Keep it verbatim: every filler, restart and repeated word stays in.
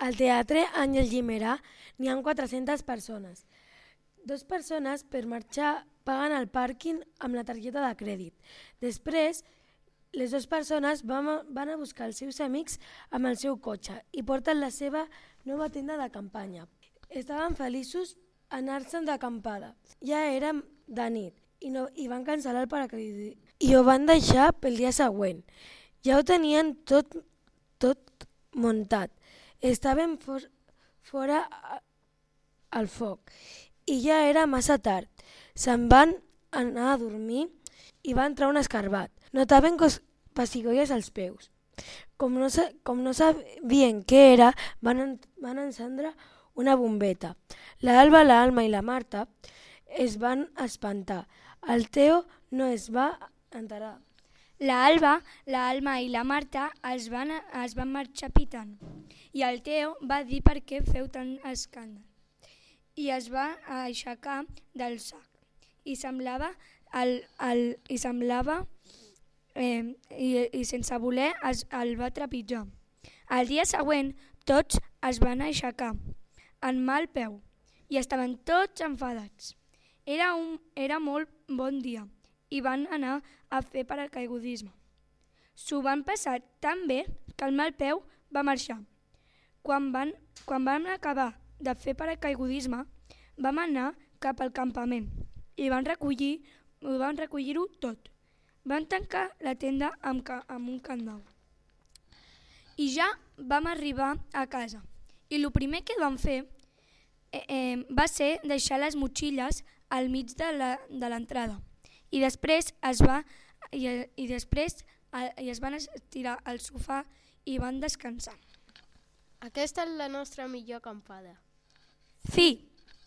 Al Teatre Àngel Guimerà n'hi ha quatre-centes persones. Dos persones per marxar paguen el pàrquing amb la targeta de crèdit. Després, les dues persones van a, van a buscar els seus amics amb el seu cotxe i porten la seva nova tenda de campanya. Estaven feliços anar-se'n d'acampada. Ja era de nit i, no, i van cancel·lar el paracaidisme i ho van deixar pel dia següent. Ja ho tenien tot, tot muntat. Estaven for, fora al foc i ja era massa tard. Se'n van anar a dormir i va entrar un escarbat. Notaven pessigolles als peus. Com no, com no sabien què era, van, en, van encendre una bombeta. L'Alba, l'Alma i la Marta es van espantar. El Teo no es va enterar. L'Alba, l'Alma i la Marta es van, es van marxar pitant i el Teo va dir per què feu tant escàndol i es va aixecar del sac i semblava, el, el, i, semblava eh, i, i sense voler es, el va trepitjar. El dia següent tots es van aixecar en mal peu i estaven tots enfadats. Era, un, era molt bon dia i van anar a fer paracaigudisme. S'ho van passar tan bé que el mal peu va marxar. Quan van, quan van acabar de fer paracaigudisme, vam anar cap al campament i van recollir, van recollir-ho tot. Van tancar la tenda amb, amb un candau. I ja vam arribar a casa. I el primer que vam fer eh, eh, va ser deixar les motxilles al mig de l'entrada. I després es va i, i després i es van estirar al sofà i van descansar. Aquesta és la nostra millor acampada. Fi!